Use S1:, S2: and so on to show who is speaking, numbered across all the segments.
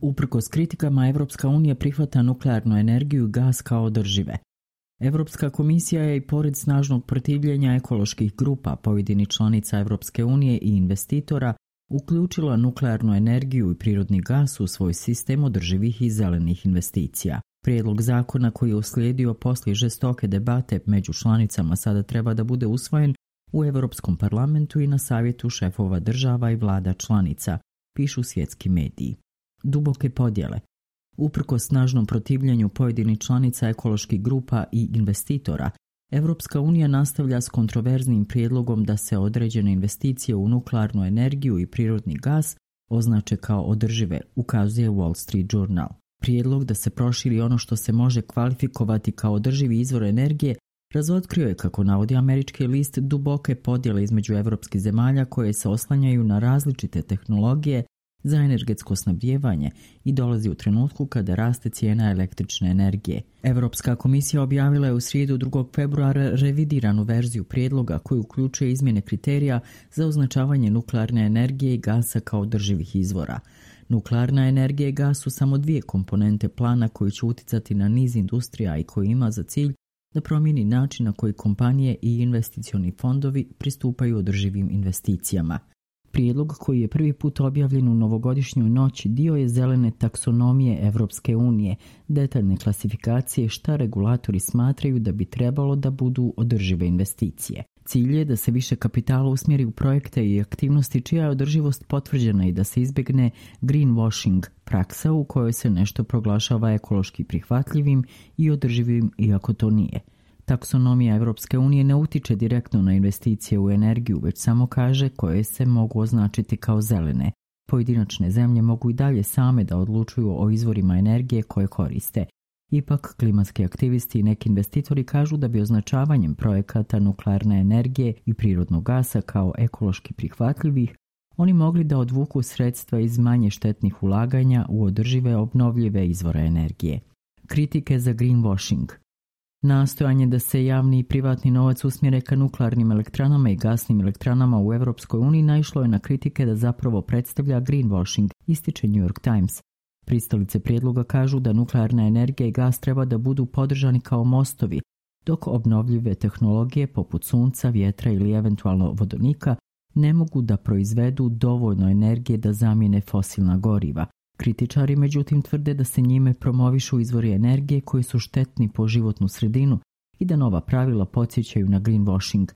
S1: Uprkos kritikama, Evropska unija prihvata nuklearnu energiju i gas kao održive. Evropska komisija je i pored snažnog protivljenja ekoloških grupa, pojedinih članica Evropske unije i investitora, uključila nuklearnu energiju i prirodni gas u svoj sistem održivih i zelenih investicija. Prijedlog zakona koji je uslijedio poslije žestoke debate među članicama sada treba da bude usvojen u Europskom parlamentu i na savjetu šefova država i vlada članica, pišu svjetski mediji. Duboke podjele. Uprkos snažnom protivljenju pojedinih članica ekoloških grupa i investitora, Evropska unija nastavlja s kontroverznim prijedlogom da se određene investicije u nuklearnu energiju i prirodni gas označe kao održive, ukazuje Wall Street Journal. Prijedlog da se proširi ono što se može kvalifikovati kao održivi izvor energije razotkrio je, kako navodi američki list, duboke podjele između evropskih zemalja koje se oslanjaju na različite tehnologije za energetsko snabdijevanje i dolazi u trenutku kada raste cijena električne energije. Europska komisija objavila je u srijedu 2. februara revidiranu verziju prijedloga koji uključuje izmjene kriterija za označavanje nuklearne energije i gasa kao održivih izvora. Nuklearna energija i gas su samo dvije komponente plana koji će uticati na niz industrija i koji ima za cilj da promijeni način na koji kompanije i investicioni fondovi pristupaju održivim investicijama. Prijedlog, koji je prvi put objavljen u novogodišnjoj noći, dio je zelene taksonomije Evropske unije, detaljne klasifikacije šta regulatori smatraju da bi trebalo da budu održive investicije. Cilj je da se više kapitala usmjeri u projekte i aktivnosti čija je održivost potvrđena i da se izbjegne greenwashing, praksa u kojoj se nešto proglašava ekološki prihvatljivim i održivim iako to nije. Taksonomija Evropske unije ne utiče direktno na investicije u energiju, već samo kaže koje se mogu označiti kao zelene. Pojedinačne zemlje mogu i dalje same da odlučuju o izvorima energije koje koriste. Ipak, klimatski aktivisti i neki investitori kažu da bi označavanjem projekata nuklearne energije i prirodnog gasa kao ekološki prihvatljivih, oni mogli da odvuku sredstva iz manje štetnih ulaganja u održive obnovljive izvore energije. Kritike za greenwashing. Nastojanje da se javni i privatni novac usmjere ka nuklearnim elektranama i gasnim elektranama u Evropskoj uniji naišlo je na kritike da zapravo predstavlja greenwashing, ističe New York Times. Pristalice prijedloga kažu da nuklearna energija i gas treba da budu podržani kao mostovi, dok obnovljive tehnologije poput sunca, vjetra ili eventualno vodonika ne mogu da proizvedu dovoljno energije da zamijene fosilna goriva. Kritičari međutim tvrde da se njime promovišu izvori energije koji su štetni po životnu sredinu i da nova pravila podsjećaju na greenwashing.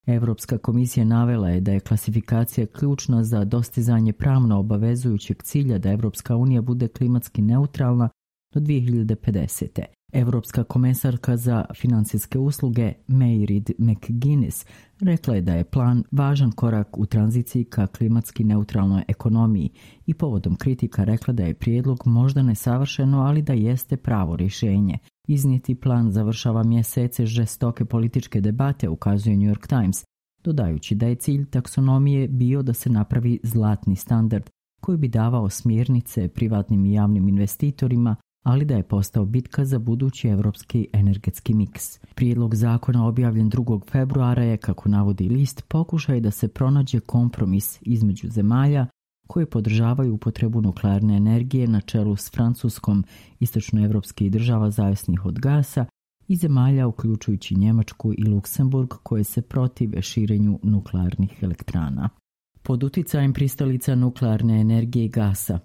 S1: Evropska komisija navela je da je klasifikacija ključna za dostizanje pravno obavezujućeg cilja da Evropska unija bude klimatski neutralna do 2050. Evropska komesarka za financijske usluge Mairead McGuinness rekla je da je plan važan korak u tranziciji ka klimatski neutralnoj ekonomiji i povodom kritika rekla da je prijedlog možda nesavršeno, ali da jeste pravo rješenje. Iznijeti plan završava mjesece žestoke političke debate, ukazuje New York Times, dodajući da je cilj taksonomije bio da se napravi zlatni standard koji bi davao smjernice privatnim i javnim investitorima, ali da je postao bitka za budući evropski energetski miks. Prijedlog zakona objavljen 2. februara je, kako navodi list, pokušaj da se pronađe kompromis između zemalja koje podržavaju upotrebu nuklearne energije na čelu s Francuskom, istočnoevropskih država zavisnih od gasa i zemalja uključujući Njemačku i Luksemburg koje se protive širenju nuklearnih elektrana. Pod uticajem pristalica nuklearne energije i gasa,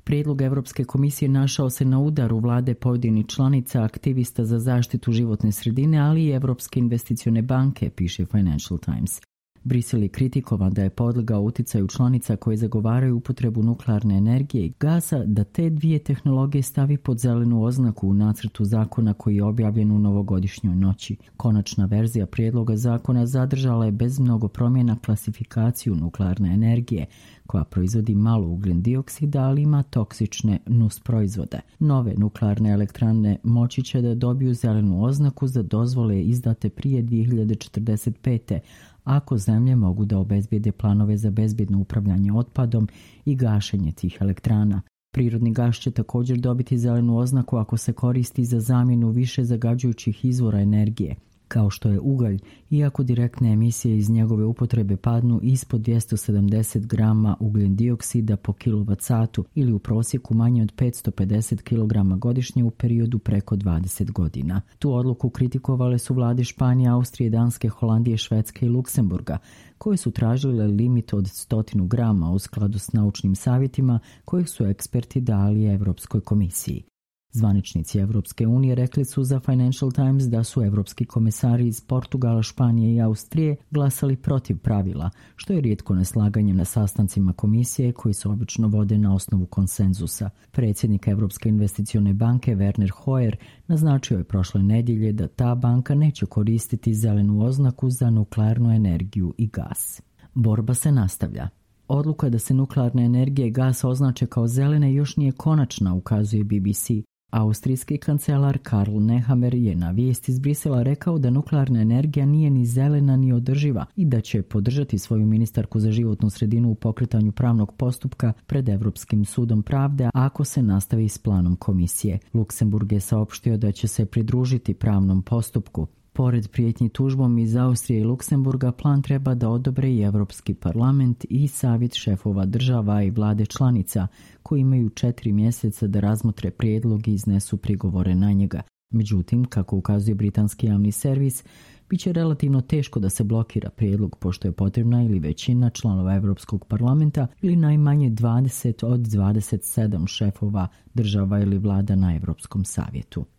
S1: prijedlog Evropske komisije našao se na udaru vlade pojedinih članica, aktivista za zaštitu životne sredine, ali i Evropske investicione banke, piše Financial Times. Brisel je kritikovan da je podlegao uticaju članica koje zagovaraju upotrebu nuklearne energije i gasa da te dvije tehnologije stavi pod zelenu oznaku u nacrtu zakona koji je objavljen u novogodišnjoj noći. Konačna verzija prijedloga zakona zadržala je bez mnogo promjena klasifikaciju nuklearne energije, koja proizvodi malo ugljen dioksida, ali ima toksične nusproizvode. Nove nuklearne elektrane moći će da dobiju zelenu oznaku za dozvole izdate prije 2045. ako zemlje mogu da obezbijede planove za bezbjedno upravljanje otpadom i gašenje tih elektrana. Prirodni gas će također dobiti zelenu oznaku ako se koristi za zamjenu više zagađujućih izvora energije. kao što je ugalj, iako direktne emisije iz njegove upotrebe padnu ispod 270 grama ugljen dioksida po kWh ili u prosjeku manje od 550 kg godišnje u periodu preko 20 godina. Tu odluku kritikovale su vlade Španije, Austrije, Danske, Holandije, Švedske i Luksemburga, koje su tražile limit od 100 grama u skladu s naučnim savjetima kojih su eksperti dali Evropskoj komisiji. Zvaničnici Evropske unije rekli su za Financial Times da su evropski komesari iz Portugala, Španije i Austrije glasali protiv pravila, što je rijetko neslaganje na sastancima komisije koji se obično vode na osnovu konsenzusa. Predsjednik Evropske investicione banke Werner Hoyer naznačio je prošle nedjelje da ta banka neće koristiti zelenu oznaku za nuklearnu energiju i gas. Borba se nastavlja. Odluka da se nuklearna energija i gas označe kao zelene još nije konačna, ukazuje BBC. Austrijski kancelar Karl Nehammer je na vijesti iz Brisela rekao da nuklearna energija nije ni zelena ni održiva i da će podržati svoju ministarku za životnu sredinu u pokretanju pravnog postupka pred Europskim sudom pravde ako se nastavi s planom komisije. Luksemburg je saopštio da će se pridružiti pravnom postupku. Pored prijetnji tužbom iz Austrije i Luksemburga, plan treba da odobre i Europski parlament i savjet šefova država i vlade članica, koji imaju 4 mjeseca da razmotre prijedlog i iznesu prigovore na njega. Međutim, kako ukazuje britanski javni servis, bit će relativno teško da se blokira prijedlog pošto je potrebna ili većina članova Europskog parlamenta ili najmanje 20 od 27 šefova država ili vlada na Europskom savjetu.